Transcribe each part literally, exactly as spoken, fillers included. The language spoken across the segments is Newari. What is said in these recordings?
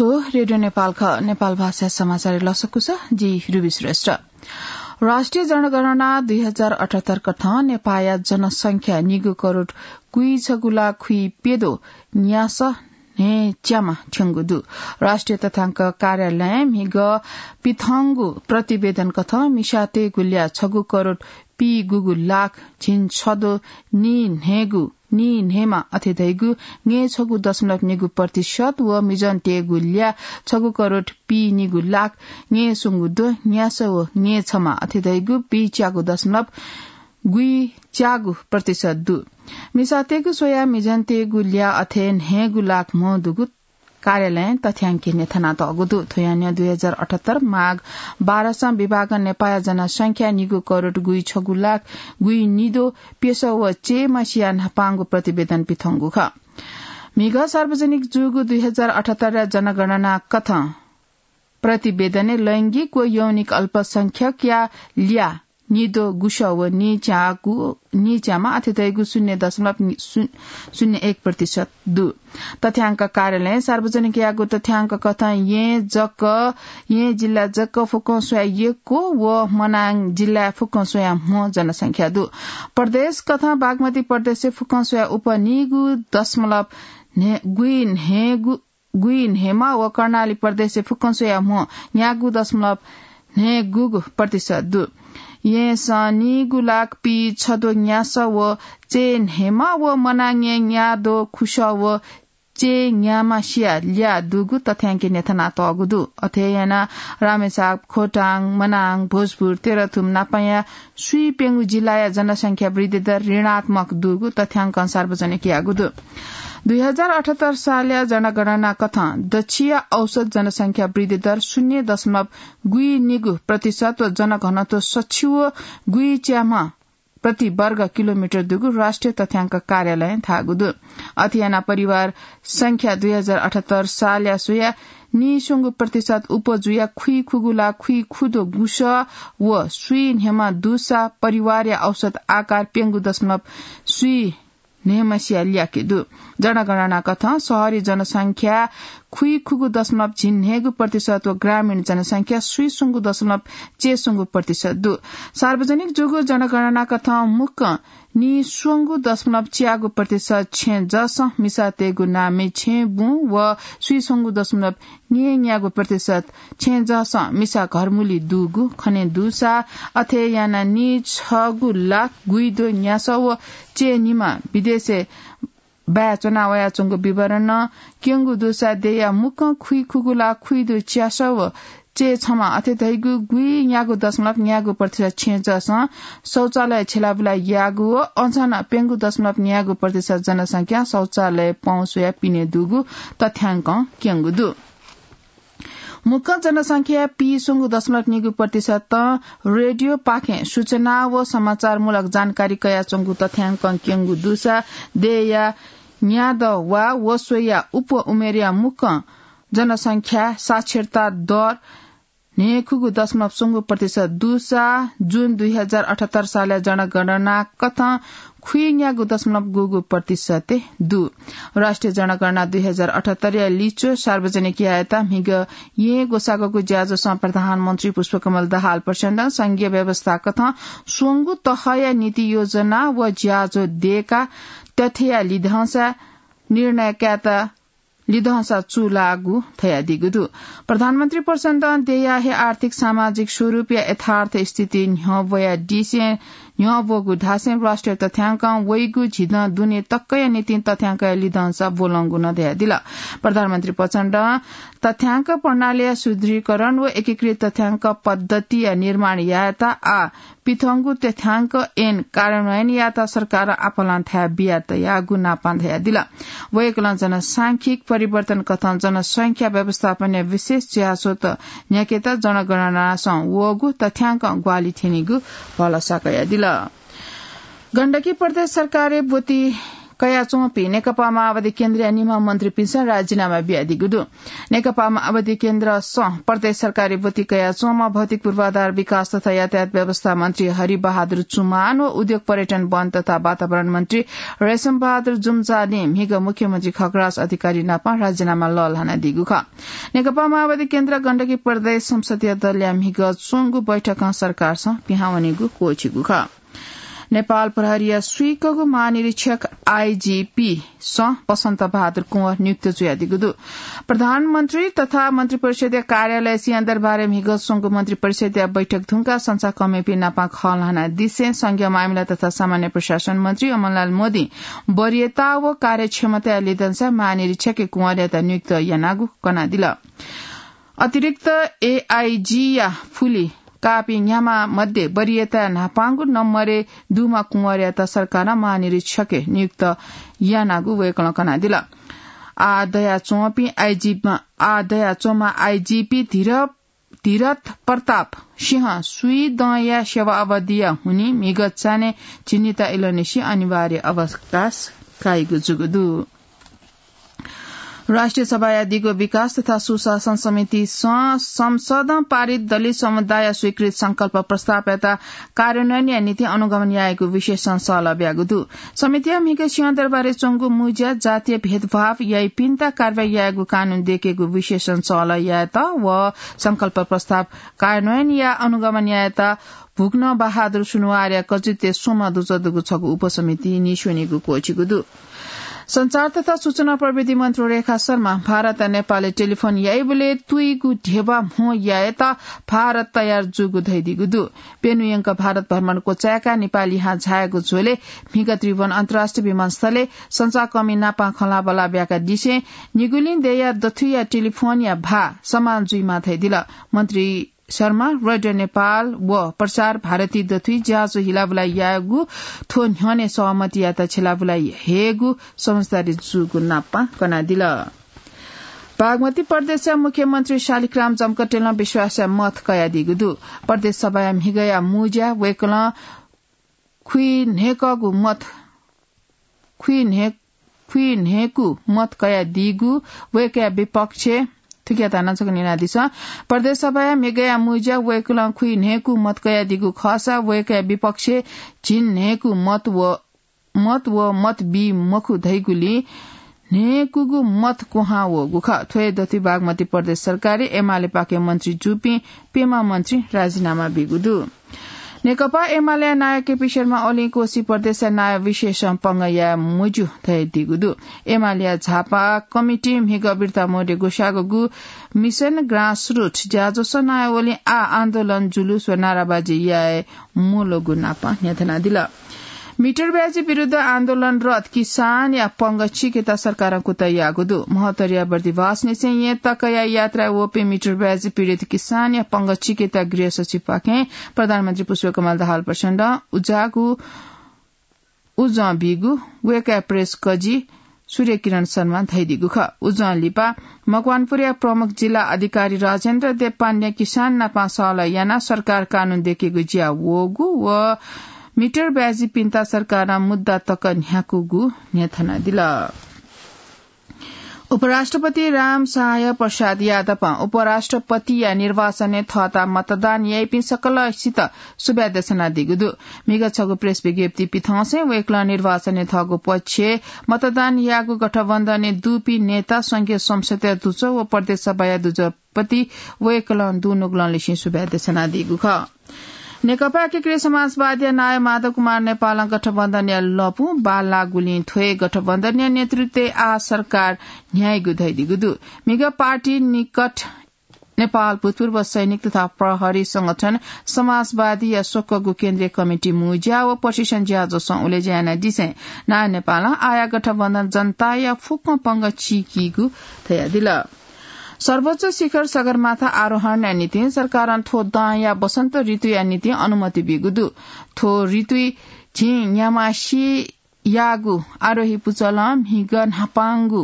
रेडियो नेपाल ख, नेपाल भाषा समाचार लसकुस, जि रुबी श्रेष्ठ। राष्ट्रिय जनगणना दुई हजार अठहत्तर कथं नेपाःया जनसंख्या निगू करोड कुइछगू लाख खुइप्यदो न्यासः न्हय्च्यामा थ्यंगु दु। राष्ट्रिय तथ्यांक कार्यालयं म्हिगः पिथंगु प्रतिवेदन कथं मिसातय्गु ल्याः छगू करोड पीगूगु लाख झिंछदो नीन्हय्गु नीन्हय्मा अथे धइगु न्हय्छगू दशमलव निगू प्रतिशत व मिजंतय्गु ल्याः छगू करोड पीनिगू लाख न्हय्स्वंगू दो न्यासः व न्हय्छमा अथे धइगु पीच्यागू दशमलव गुइच्यागू प्रतिशत दु। मिसातय्गु स्वयाः मिजंतय्गु ल्याः अथे न्हय्गू लाख म्ह दुगु कार्यालयं तथ्यांकय् न्ह्यथनातःगु दु। थ्व यानाः दुई हजार अठहत्तर माघ बाह्रसं विभागं नेपाःया जनसंख्या निगू करोड गुइछगू लाख गुइनिदो प्यसः व चय्म्हसिया न्हापांगु प्रतिवेदन पिथंगु खः। म्हिगः सार्वजनिक जूगु दुई हजार अठहत्तरया जनगणना कथं प्रतिवेदनय् लैंगिक व यौनिक अल्पसंख्यकया ल्याः निदो गुसः व नीच्यागु, नीच्यामा अथे धइगु शून्य दशमलव नि-, शून्य, शून्य एक प्रतिशत दु। तथ्यांक कार्यालयं सार्वजनिक याःगु तथ्यांक कथं येँ जक, येँ जिल्ला जक फुक्कं स्वयाः यक्व व मनाङ जिल्लाय् फुक्कं स्वयाः म्ह जनसंख्या दु। प्रदेश कथं बागमती प्रदेशय् फुक्कं स्वयाः उपनिगू दशमलव न्हे-, गुइन्हेगु गुइन्हेमा व कर्णाली प्रदेशय् फुक्कं स्वयाः म्ह न्यागू दशमलव न्हय्गूगू प्रतिशत दु। येँसं निगू लाख पीछदो न्यासः व चय्न्हेमा व मनाङय् न्यादो खुसः व चय्न्यामासिया ल्याः दुगु तथ्यांकय् न्ह्यथनातःगु दु। अथे यानाः रामेछाप, खोटाङ, मनाङ, भोजपुर, तेह्रथुम नापंया स्वीप्यंगू जिल्लाया जनसंख्या वृद्धि दर ऋणात्मक दुगु तथ्यांकं सार्वजनिक याःगु दु। दुई हजार अठहत्तर सालया जनगणना कथं दच्छिया औसत जनसंख्या वृद्धि दर शून्य दशमलव गुइनिगू प्रतिशत व जनघनत्व सछि व गुइच्याम्ह प्रति वर्ग किलोमिटर दुगु राष्ट्रिय तथ्यांक कार्यालयं धाःगु दु। अथे यानाः परिवार संख्या दुई हजार अठहत्तर सालया स्वयाः नीस्वंगू प्रतिशत उपजुया खुइखुगू लाख खुइखुदो गुसः व स्वीन्हेमा दुसा परिवारया औसत आकार प्यंगू दशमलव स्वीन्हेमासिया ल्याः दु। जनगणना कथं शहरी जनसंख्या खुइखुगू दशमलव झिंन्हय्गू प्रतिशत व ग्रामीण जनसंख्या स्वीस्वंगू दशमलव चय्स्वंगू प्रतिशत दु। सार्वजनिक जूगु जनगणना कथं मुक्कं नीस्वंगू दशमलव च्यागू प्रतिशत छेँजःसं मिसातय्गु नामय् छेँबुँ व स्वीस्वंगू दशमलव न्येन्यागू प्रतिशत छेँजःसं मिसा घरमुलि दुगु खने दुसा, अथे यानाः नीछगू लाख गुइदो न्यासः व चय्निमा विदेशय् बाय् च्वना वयाच्वंगु विवरणं क्यंगु दुसा देय्या मुक्कं खुइखुगू लाख खुइदो च्यासः व चय्छमा अथे धइगु गुइन्यागू दशमलव न्यागू प्रतिशत छेँजःसं शौचालय छ्यलाबुला याःगु व अझ नं प्यंगू दशमलव न्यागू प्रतिशत जनसंख्या शौचालय पहुँच वयाः पिने दुगु तथ्यांकं क्यंगु दु। मुक्कं जनसंख्या पीस्वंगू दशमलव निगू प्रतिशतं रेडियोपाखें सूचना व समाचारमूलक जानकारी कयाच्वंगु तथ्यांकं क्यंगु दुसा देय्या न्यादँ वा व स्वयाः उप उमेरया मुक्कं जनसंख्या साक्षरता दर न्हय्खुगू दशमलव स्वंगू प्रतिशत दुसा जुन दुई हजार अठहत्तर सालया जनगणना कथं खुइन्यागू दशमलव गुगू प्रतिशत दु। राष्ट्रिय जनगणना दुई हजार अठहत्तरया लिच्वः सार्वजनिक यायेत म्हिगः येँ ग्वसाःगु ज्याझ्वलय् प्रधानमन्त्री पुष्पकमल दाहाल प्रचण्डं संघीय व्यवस्था कथं स्वंगू तहया नीति योजना व ज्याझ्वः दयेकाः तथ्यया लिधंसा निर्णय कायेत लिधंसा चूलाःगु धयादीगु दु। प्रधानमन्त्री प्रचण्डं देय्या हे आर्थिक सामाजिक स्वरूपया यथार्थ स्थिति न्ह्यब्वयादिसें न्ह्यब्वःगु धासें राष्ट्रिय तथ्यांकं वइगु झिदँ दुने तकया निंतिं तथ्यांकया लिधंसा ब्वलंगु नं धयादिल। प्रधानमन्त्री प्रचण्डं तथ्यांक प्रणालीया सुदृढीकरण व एकीकृत तथ्यांक पद्धतिया निर्माण यायेत आः पिथंगु तथ्यांक ऐन कार्यान्वयन यायेत सरकारं आपालं थाय् बिया तयागु नापां धयादिल। वय्कलं जनसांख्यिक परिवर्तन कथं जनसंख्या व्यवस्थापनया विशेष ज्याझ्वःत न्ह्याकेत जनगणनासं वःगु तथ्यांकं ग्वाहालि थ्यनीगु भलसा कयादिल। गण्डकी प्रदेश सरकारय् ब्वति कयाच्वंपिं नेकपा माओवादी केन्द्रया निम्ह मन्त्रीपिन्सं राजीनामा बियादीगु दु। नेकपा माओवादी केन्द्रसं प्रदेश सरकारी ब्वति कयाच्वंम्ह भौतिक पूर्वाधार विकास तथा यातायात व्यवस्था मन्त्री हरि बहादुर चुमान व उद्योग पर्यटन वन तथा वातावरण मन्त्री रेशम बहादुर जुम्जालिं म्हिगः मुख्यमन्त्री खगराज अधिकारी नाप राजीनामा लःल्हानादीगु खः। नेकपा माओवादी केन्द्र गण्डकी प्रदेश संसदीय दलया म्हिगः च्वंगु बैठकं सरकारसं पिहां वनेगु क्वःछिगु खः। नेपाल प्रहरीया स्वीकःगु महानिरीक्षक आईजीपी सं बसन्त बहादुर कुँवर नियुक्त जुयादीगु दु। प्रधानमन्त्री तथा मन्त्रिपरिषदया कार्यालय सिंहदरबारय् म्हिगः च्वंगु मन्त्रिपरिषदया बैठक धुंकाः संचारकर्मीपिं नाप खँ ल्हानादिसें संघीय मामिला तथा सामान्य प्रशासन मन्त्री अमरलाल मोदीं वरीयता व कार्यक्षमताया लिधंसां महानिरीक्षक कुँवरयात नियुक्त यानागु कनादिल। अतिरिक्त एआईजीया फुलि काःपिं न्ह्याम्ह मध्ये वरीयताया न्हापांगु नम्बरय् दुम्ह कुँवरयात सरकारं महानिरीक्षक नियुक्त यानागु वय्कलं कनादिल। आः दयाच्वंपिं आईजी, आः दयाच्वंम्ह आईजीपी धीर, धीरथ प्रताप सिंह स्वीदँया सेवा अवधिया हुनिं म्हिगः चान्हय् झिंनिता इलंनिसें अनिवार्य अवकाश काइगु जूगु दु। राष्ट्रिय सभाया दिगो विकास तथा सुशासन समितिसं संसदं पारित दलित समुदाय स्वीकृत संकल्प प्रस्तावयात कार्यान्वयनया निंतिं अनुगमन यायेगु विषयसं सहलह ब्यागु दु। समितिया म्हिगः सिंहदरबारय् च्वंगु मुँज्या जातीय भेदभाव याइपिन्त कारवाही यायेगु कानून दयेकेगु विषयसं सहलह यायेत व संकल्प प्रस्ताव कार्यान्वयनया अनुगमन यायेत भुक्न बहादुर सुनुवारया कचित्वय् स्वम्ह दुजः दुगु छगू उपसमिति नीस्वनेगु क्वःछिगु दु। सञ्चार तथा सूचना प्रविधि मन्त्री रेखा शर्मा भारत नेपालय् टेलिफोन याइबलय् तुइगु ध्यबा म्हो यायेत भारत तयार जूगु धयादीगु दु। प्यन्हु यंक भारत भ्रमण क्वचाय्काः नेपाल लिहां झायागु झ्वलय् म्हिगः त्रिभुवन अन्तर्राष्ट्रिय विमानस्थलय् सञ्चारकर्मी नाप खँल्हाबल्हा ब्याकादिसें निगुलिं देय्या दथुइया टेलिफोनया भाः समान जुइमाः धयादिल। मन्त्री शर्मा रेडियो नेपाल व प्रसार भारती दथुइ ज्याझ्वः हिलाबुलाइ यायेगु थ्व न्ह्यःने सहमतियात छ्यलाबुलाइ हयेगु समझदारी जूगु नाप कनादिल। बागमती प्रदेशया मुख्यमन्त्री शालिग्राम जमकटेलं विश्वासया मत कयादीगु दु। प्रदेश सभाया म्हिगःया मुँज्या वय्कलं खुइन्हय्कःगु मत खुइन्हय्-, खुइन्हय्कू मत कयादीगु वय्कःया विपक्ष, थुकिया धाना छकः न्यनादिसँ। प्रदेश सभाया म्हिगःया मुँज्या वय्कलं खुइन्हय्कू मत कयादीगु खःसा वय्कःया विपक्ष झिंन्हय्कू मत व, मत व मत बी मखु धइगुलिं न्हय्कूगु मत क्वहां वःगु खः। थ्व हे दथुइ बागमती प्रदेश सरकारय् एमालेपाखें मन्त्री जूपिं प्यम्ह मन्त्री राजीनामा बीगु दु। नेकपा एमालेया नायः केपी शर्मा ओलीं कोशी प्रदेशया नायः विषयसं पंगः याये मज्यू धयादीगु दु। एमालेया झापा कमिटिं म्हिगः बिर्ता मोरे ग्वसाःगु मिसन ग्रासरुट ज्याझ्वलय् नायः ओलीं आः आन्दोलन, जुलुस व नाराबाजी याये मल्वःगु नाप न्ह्यथनादिल। मिटर ब्याजी विरुद्ध आन्दोलनरत किसानया पंगः चीकेत सरकारं कुतः याःगु दु। महोत्तरीया बर्दिवासनिसें येँ तकया यात्राय् वःपिं मिटर ब्याजी पीडित किसानया पंगः चीकेत गृह सचिवपाखें प्रधानमन्त्री पुष्पकमल दाहाल प्रचण्डं उज्याःगु उजं बीगु वय्कःया प्रेस कजि सूर्यकिरण शर्मां धयादीगु खः। उजं लिपा मकवानपुरया प्रमुख जिल्ला अधिकारी राजेन्द्र देव पाण्डें किसान नाप सहलह यानाः सरकार कानून दयेकेगु ज्या वःगु व मिटर ब्याजीपिन्त सरकारं मुद्दा तक न्ह्याकूगु न्ह्यथनादिल। उपराष्ट्रपति राम सहाय प्रसाद यादवं उपराष्ट्रपतिया निर्वाचनय् थःत मतदान याइपिं सकलसित सुभाय् देछानादीगु दु। म्हिगः छगू प्रेस विज्ञप्ति पिथंसें वय्कलं निर्वाचनय् थःगु पक्षय् मतदान याःगु गठबन्धनय् दुपिं नेता, संघीय संसदया दुजः व प्रदेश सभाया दुजःपति वय्कलं दुनुगलंनिसें सुभाय् देछानादीगु खः। नेकपा एकीकृत समाजवादीया नायः माधव कुमार नेपालं गठबन्धनया लँपु बांलाःगुलिं थ्व हे गठबन्धनया नेतृत्वय् आः सरकार न्ह्याइगु धयादीगु दु। म्हिगः पार्टी निकट नेपाल भूतपूर्व सैनिक तथा प्रहरी संगठन समाजवादीया स्वक्वःगु केन्द्रीय कमिटी मुँज्या व प्रशिक्षण ज्याझ्वलय् उलेज्या यानादिसें नायः नेपालं आःया गठबन्धन जनताया फुक्क पंगः चीकीगु धयादिल। सर्वोच्च शिखर सगरमाथा आरोहणया निंतिं सरकारं थ्व दँया वसन्त ऋतुया निंतिं अनुमति बीगु दु। थ्व ऋतुइ झिं न्याम्हसियागु आरोही पुचलं म्हिगः न्हापांगु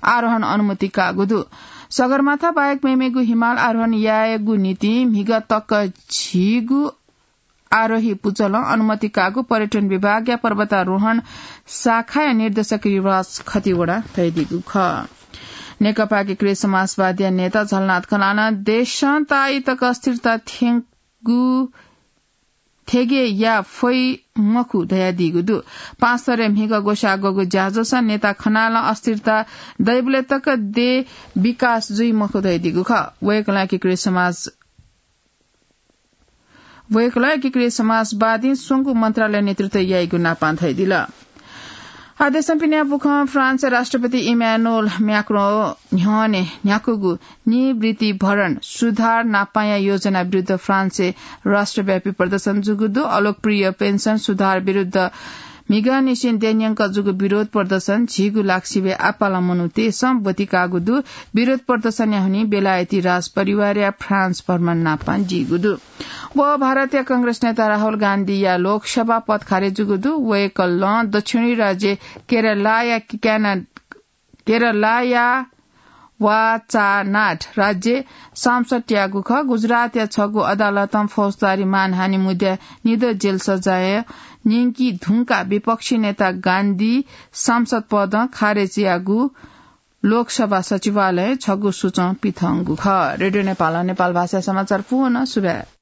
आरोहण अनुमति काःगु दु। सगरमाथा बाहेक मेमेगु हिमाल आरोहण यायेगु निंतिं म्हिगः तक झीगु आरोही पुचलं अनुमति काःगु पर्यटन विभागया पर्वतारोहण शाखाया निर्देशक युवराज खतिवडा धयादीगु खः। नेकपा एकीकृत समाजवादीया नेता झलनाथ खनालं देशं ताःई तक अस्थिरता थ्यंगु थेगे या फइ मखु धयादीगु दु। पाँच स्तरय् म्हिगः ग्वसाः ग्वःगु ज्याझ्वलय् नेता खनालं अस्थिरता दइबलय् तक देश विकास जुइ मखु धयादीगु खः। वय्कलं एकीकृत समाज वय्कलं एकीकृत समाजवादीं स्वंगू मन्त्रालय नेतृत्व याइगु नापां धयादिल। आदेशं पिन्या बुखं फ्रान्स राष्ट्रपति इमानुएल म्याक्रों न्ह्यःने न्ह्याकूगु निवृत्ति भरण सुधार नापांया योजना विरुद्ध फ्रान्सय् राष्ट्रव्यापी प्रदर्शन जूगु दु। अलोकप्रिय पेन्सन सुधार विरुद्ध म्हिगःनिसें देन्यंक जूगु विरोध प्रदर्शन झीगु लाक्सिबय् आपालं मनूतय्सं ब्वति काःगु दु। विरोध प्रदर्शनया हुनिं बेलायती राजपरिवारया फ्रान्स भ्रमण नापां जीगु दु। व भारतया कांग्रेस नेता राहुल गान्धीया लोकसभा पद खारेज जूगु दु। वय्कलं दक्षिणी राज्य केरलाया क्याना-, केरलाया वाचानाड राज्य सांसद त्याःगु खः। गुजरातया छगू अदालतं फौजदारी मानहानि मुद्दाय् निदँ जेल सजाय न्यंकी धुंकाः विपक्षी नेता गान्धी सांसद पदं खारेज याःगु लोकसभा सचिवालयं छगू सूचं पिथंगु खः। रेडियो नेपालं नेपाल भाषा समाचार पूवं सुभाय्।